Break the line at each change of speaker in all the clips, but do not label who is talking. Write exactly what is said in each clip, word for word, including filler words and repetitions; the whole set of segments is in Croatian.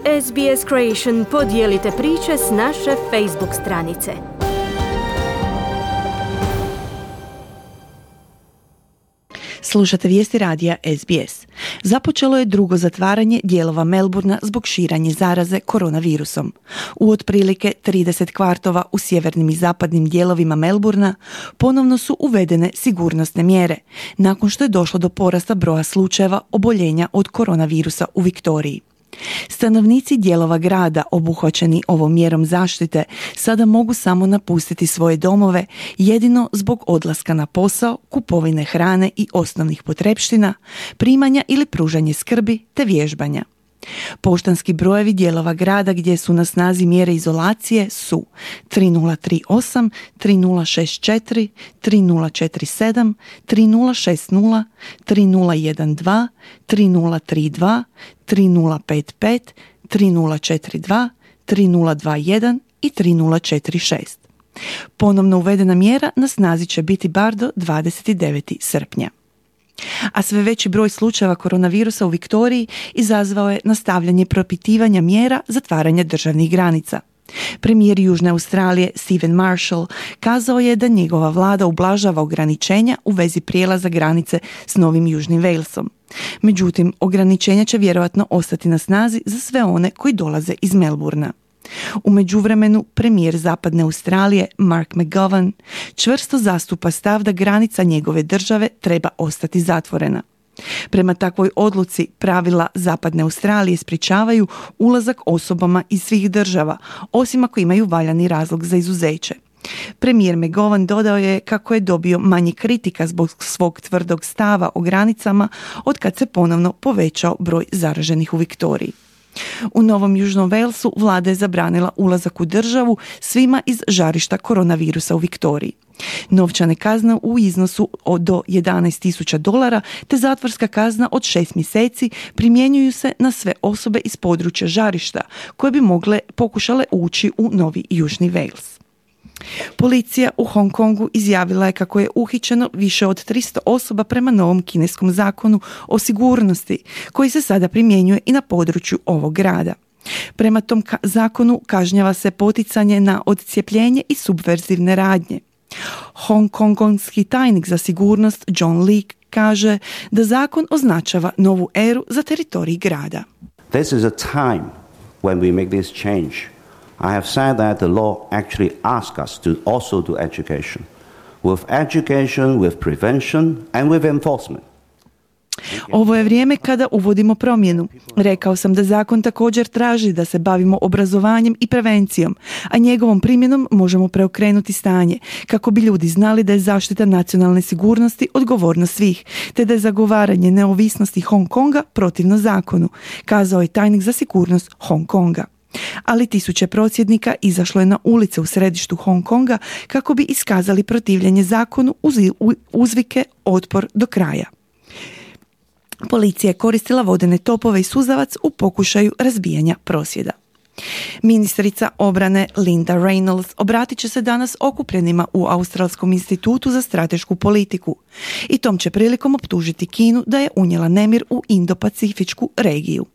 S B S Creation podijelite priče s naše Facebook stranice.
Slušate vijesti radija S B S. Započelo je drugo zatvaranje dijelova Melbourna zbog širanja zaraze koronavirusom. U otprilike trideset kvartova u sjevernim i zapadnim dijelovima Melbourna ponovno su uvedene sigurnosne mjere, nakon što je došlo do porasta broja slučajeva oboljenja od koronavirusa u Viktoriji. Stanovnici dijelova grada obuhvaćeni ovom mjerom zaštite sada mogu samo napustiti svoje domove jedino zbog odlaska na posao, kupovine hrane i osnovnih potrepština, primanja ili pružanje skrbi te vježbanja. Poštanski brojevi dijelova grada gdje su na snazi mjere izolacije su tri nula tri osam, tri nula šest četiri, tri nula četiri sedam, tri nula šest nula, tri nula jedan dva, tri nula tri dva, tri nula pet pet, tri nula četiri dva, tri nula dva jedan i tri nula četiri šest. Ponovno uvedena mjera na snazi će biti bar do dvadeset devetog srpnja. A sve veći broj slučajeva koronavirusa u Viktoriji izazvao je nastavljanje propitivanja mjera zatvaranja državnih granica. Premijer Južne Australije Stephen Marshall kazao je da njegova vlada ublažava ograničenja u vezi prijelaza granice s Novim Južnim Walesom. Međutim, ograničenja će vjerojatno ostati na snazi za sve one koji dolaze iz Melbourna. U međuvremenu, premijer Zapadne Australije Mark McGowan čvrsto zastupa stav da granica njegove države treba ostati zatvorena. Prema takvoj odluci pravila Zapadne Australije sprječavaju ulazak osobama iz svih država, osim ako imaju valjani razlog za izuzeće. Premijer McGowan dodao je kako je dobio manje kritika zbog svog tvrdog stava o granicama od kad se ponovno povećao broj zaraženih u Viktoriji. U Novom Južnom Walesu vlada je zabranila ulazak u državu svima iz žarišta koronavirusa u Viktoriji. Novčane kazne u iznosu od do jedanaest tisuća dolara te zatvorska kazna od šest mjeseci primjenjuju se na sve osobe iz područja žarišta koje bi mogle pokušale ući u Novi Južni Wales. Policija u Hong Kongu izjavila je kako je uhićeno više od tristo osoba prema novom kineskom zakonu o sigurnosti, koji se sada primjenjuje i na području ovog grada. Prema tom ka- zakonu kažnjava se poticanje na odcijepljenje i subverzivne radnje. Hongkongonski tajnik za sigurnost John Lee kaže da zakon označava novu eru za teritorij grada.
This is a time when we make this change. I have said that the law actually asks us to also do education. With education, with prevention and with enforcement.
Ovo je vrijeme kada uvodimo promjenu. Rekao sam da zakon također traži da se bavimo obrazovanjem i prevencijom, a njegovom primjenom možemo preokrenuti stanje, kako bi ljudi znali da je zaštita nacionalne sigurnosti odgovornost svih, te da je zagovaranje neovisnosti Hong Konga protivno zakonu, kazao je tajnik za sigurnost Hong Konga. Ali tisuće prosvjednika izašlo je na ulice u središtu Hong Konga kako bi iskazali protivljenje zakonu uz uzvike otpor do kraja. Policija je koristila vodene topove i suzavac u pokušaju razbijanja prosvjeda. Ministrica obrane Linda Reynolds obratit će se danas okupljenima u Australskom institutu za stratešku politiku i tom će prilikom optužiti Kinu da je unijela nemir u Indo-Pacifičku regiju.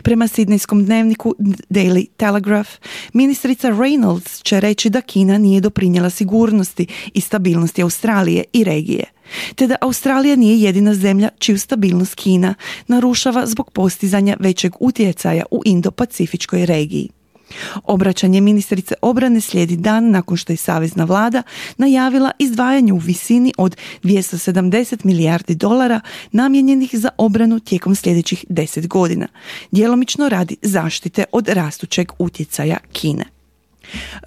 Prema sidnejskom dnevniku Daily Telegraph, ministrica Reynolds će reći da Kina nije doprinijela sigurnosti i stabilnosti Australije i regije, te da Australija nije jedina zemlja čiju stabilnost Kina narušava zbog postizanja većeg utjecaja u Indo-Pacifičkoj regiji. Obraćanje ministrice obrane slijedi dan nakon što je savezna vlada najavila izdvajanje u visini od dvjesto sedamdeset milijardi dolara namijenjenih za obranu tijekom sljedećih deset godina, djelomično radi zaštite od rastućeg utjecaja Kine.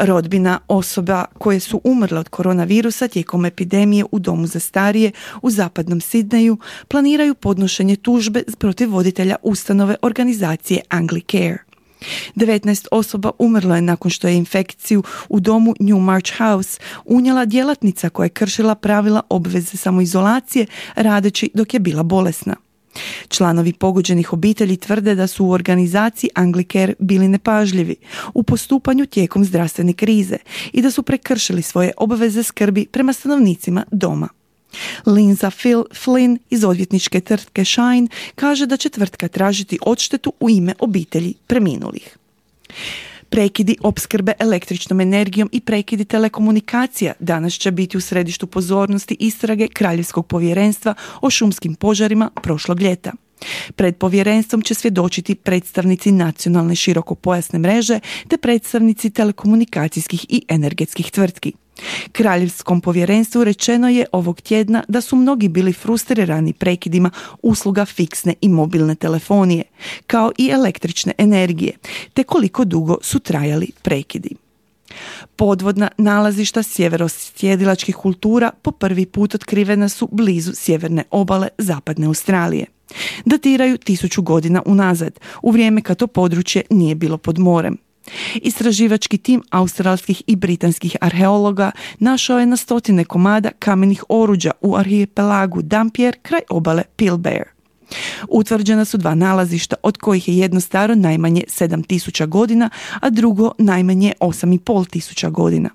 Rodbina osoba koje su umrle od koronavirusa tijekom epidemije u domu za starije u zapadnom Sidneju planiraju podnošenje tužbe protiv voditelja ustanove organizacije Anglicare. devetnaest osoba umrlo je nakon što je infekciju u domu New March House unijela djelatnica koja je kršila pravila obveze samoizolacije radeći dok je bila bolesna. Članovi pogođenih obitelji tvrde da su u organizaciji Anglicare bili nepažljivi u postupanju tijekom zdravstvene krize i da su prekršili svoje obveze skrbi prema stanovnicima doma. Linza Phil Flynn iz odvjetničke tvrtke Shine kaže da će tvrtka tražiti odštetu u ime obitelji preminulih. Prekidi opskrbe električnom energijom i prekidi telekomunikacija danas će biti u središtu pozornosti istrage Kraljevskog povjerenstva o šumskim požarima prošlog ljeta. Pred povjerenstvom će svjedočiti predstavnici nacionalne širokopojasne mreže te predstavnici telekomunikacijskih i energetskih tvrtki. Kraljevskom povjerenstvu rečeno je ovog tjedna da su mnogi bili frustrirani prekidima usluga fiksne i mobilne telefonije, kao i električne energije, te koliko dugo su trajali prekidi. Podvodna nalazišta sjeverosjedilačkih kultura po prvi put otkrivena su blizu sjeverne obale zapadne Australije. Datiraju tisuću godina unazad, u vrijeme kad to područje nije bilo pod morem. Istraživački tim australskih i britanskih arheologa našao je na stotine komada kamenih oruđa u arhipelagu Dampier kraj obale Pilbara. Utvrđena su dva nalazišta, od kojih je jedno staro najmanje sedam tisuća godina, a drugo najmanje osam i pol tisuća godina.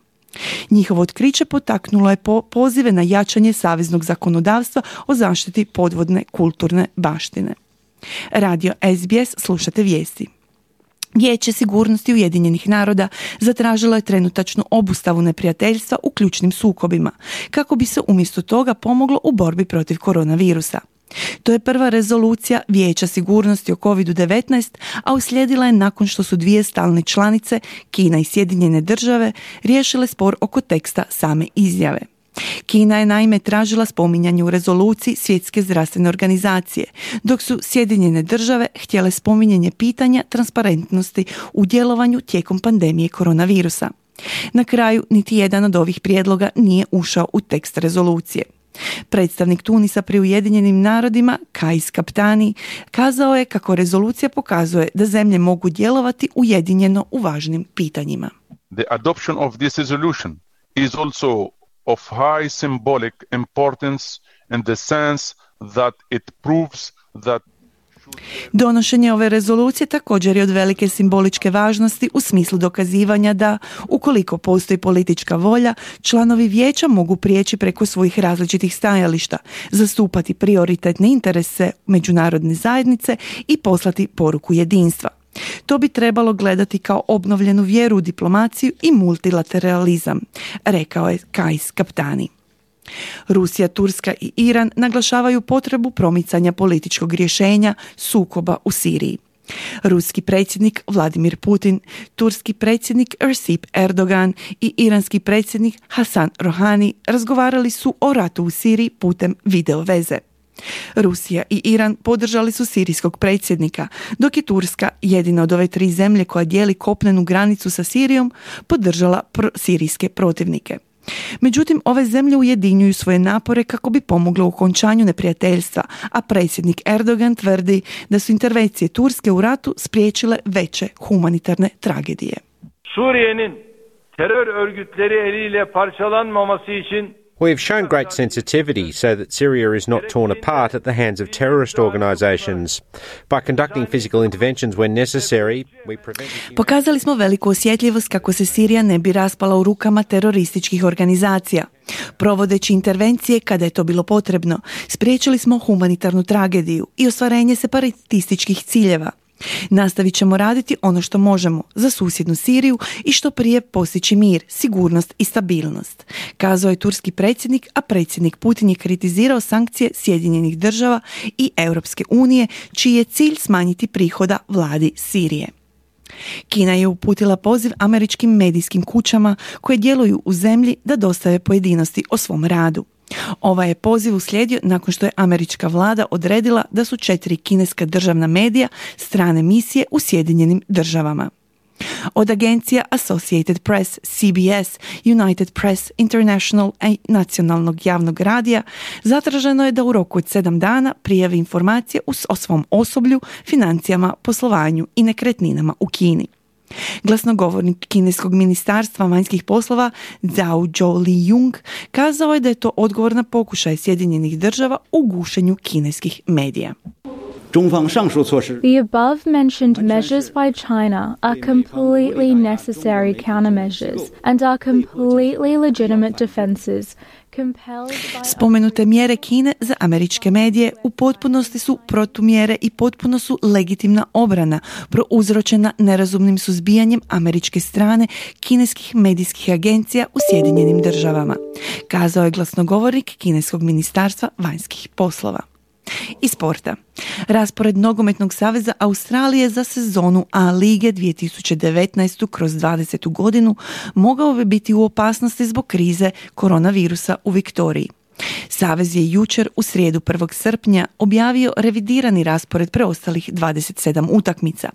Njihovo otkriće potaknulo je po pozive na jačanje saveznog zakonodavstva o zaštiti podvodne kulturne baštine. Radio S B S, slušate vijesti. Vijeće sigurnosti Ujedinjenih naroda zatražilo je trenutačnu obustavu neprijateljstva u ključnim sukobima, kako bi se umjesto toga pomoglo u borbi protiv koronavirusa. To je prva rezolucija Vijeća sigurnosti o kovid devetnaest, a uslijedila je nakon što su dvije stalne članice, Kina i Sjedinjene države, riješile spor oko teksta same izjave. Kina je naime tražila spominjanje u rezoluciji Svjetske zdravstvene organizacije, dok su Sjedinjene države htjele spominjanje pitanja transparentnosti u djelovanju tijekom pandemije koronavirusa. Na kraju, niti jedan od ovih prijedloga nije ušao u tekst rezolucije. Predstavnik Tunisa pri Ujedinjenim narodima, Kais Kaptani, kazao je kako rezolucija pokazuje da zemlje mogu djelovati ujedinjeno u važnim pitanjima.
The adoption of this resolution is also of high symbolic importance in the sense that it proves that
Donošenje ove rezolucije također je od velike simboličke važnosti u smislu dokazivanja da, ukoliko postoji politička volja, članovi vijeća mogu prijeći preko svojih različitih stajališta, zastupati prioritetne interese međunarodne zajednice i poslati poruku jedinstva. To bi trebalo gledati kao obnovljenu vjeru u diplomaciju i multilateralizam, rekao je Kais Kaptani. Rusija, Turska i Iran naglašavaju potrebu promicanja političkog rješenja sukoba u Siriji. Ruski predsjednik Vladimir Putin, turski predsjednik Recep Erdogan i iranski predsjednik Hasan Rohani razgovarali su o ratu u Siriji putem video veze. Rusija i Iran podržali su sirijskog predsjednika, dok je Turska, jedina od ove tri zemlje koja dijeli kopnenu granicu sa Sirijom, podržala pr- sirijske protivnike. Međutim, ove zemlje ujedinjuju svoje napore kako bi pomogle u okončanju neprijateljstva, a predsjednik Erdogan tvrdi da su intervencije Turske u ratu spriječile veće humanitarne tragedije.
Suriye'nin terör örgütleri eliyle parçalanmaması için
We have shown great sensitivity so that Syria is not torn apart at the hands of terrorist organisations. By conducting physical interventions when necessary, we prevent...
Pokazali smo veliku osjetljivost kako se Sirija ne bi raspala u rukama terorističkih organizacija. Provodeći intervencije kada je to bilo potrebno, spriječili smo humanitarnu tragediju i ostvarenje separatističkih ciljeva. Nastavit ćemo raditi ono što možemo za susjednu Siriju i što prije postići mir, sigurnost i stabilnost, kazao je turski predsjednik, a predsjednik Putin je kritizirao sankcije Sjedinjenih država i Europske unije, čiji je cilj smanjiti prihoda vladi Sirije. Kina je uputila poziv američkim medijskim kućama koje djeluju u zemlji da dostave pojedinosti o svom radu. Ovaj je poziv uslijedio nakon što je američka vlada odredila da su četiri kineska državna medija strane misije u Sjedinjenim državama. Od agencija Associated Press, C B S, United Press International i nacionalnog javnog radija zatraženo je da u roku od sedam dana prijavi informacije o svom osoblju, financijama, poslovanju i nekretninama u Kini. Glasnogovornik kineskog ministarstva vanjskih poslova Zhao Zhou-Li-Jung kazao je da je to odgovor na pokušaj Sjedinjenih država u gušenju kineskih medija.
The above-mentioned measures by China are completely necessary countermeasures and are completely legitimate defenses compelled by...
Spomenute mjere Kine za američke medije u potpunosti su protumjere i potpuno su legitimna obrana prouzročena nerazumnim suzbijanjem američke strane kineskih medijskih agencija u Sjedinjenim državama, kazao je glasnogovornik kineskog ministarstva vanjskih poslova. Iz sporta. Raspored Nogometnog saveza Australije za sezonu A lige dvije tisuće devetnaeste kroz dvadesetu godinu mogao bi biti u opasnosti zbog krize koronavirusa u Viktoriji. Savez je jučer u srijedu prvog srpnja objavio revidirani raspored preostalih dvadeset sedam utakmica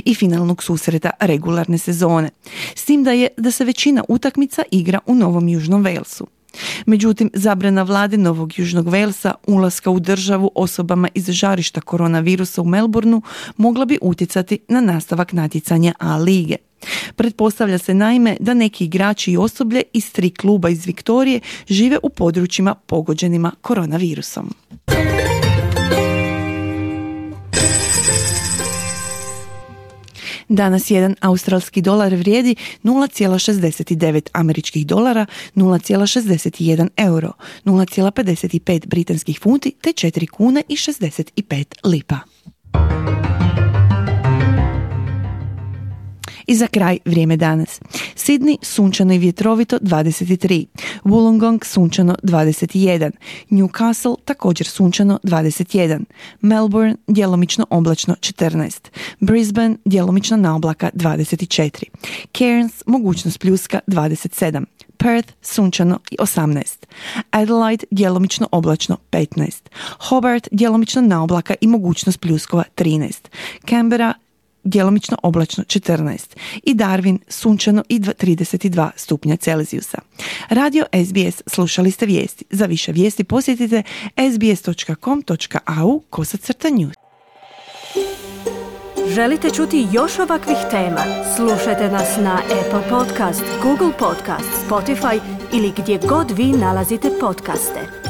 i finalnog susreta regularne sezone, s tim da je da se većina utakmica igra u Novom Južnom Walesu. Međutim, zabrana vlade Novog Južnog Walesa ulaska u državu osobama iz žarišta koronavirusa u Melbourneu mogla bi utjecati na nastavak natjecanja A lige. Pretpostavlja se naime da neki igrači i osoblje iz tri kluba iz Viktorije žive u područjima pogođenima koronavirusom. Danas jedan australski dolar vrijedi nula zarez šezdeset devet američkih dolara, nula zarez šezdeset jedan euro, nula zarez pedeset pet britanskih funti te četiri kune i šezdeset pet lipa. I za kraj vrijeme danas. Sydney sunčano i vjetrovito dvadeset tri, Wollongong sunčano dvadeset jedan, Newcastle također sunčano dvadeset jedan, Melbourne djelomično oblačno četrnaest, Brisbane djelomično na oblaka dvadeset četiri, Cairns mogućnost pljuska dvadeset sedam, Perth sunčano i osamnaest, Adelaide djelomično oblačno petnaest, Hobart djelomično na oblaka i mogućnost pljuskova trinaest, Canberra djelomično oblačno četrnaest i Darwin sunčano i trideset dva stupnja Celzijusa. Radio S B S, slušali ste vijesti. Za više vijesti posjetite s b s dot com dot a u kosacrta news.
Želite čuti još ovakvih tema? Slušajte nas na Apple Podcast, Google Podcast, Spotify ili gdje god vi nalazite podcaste.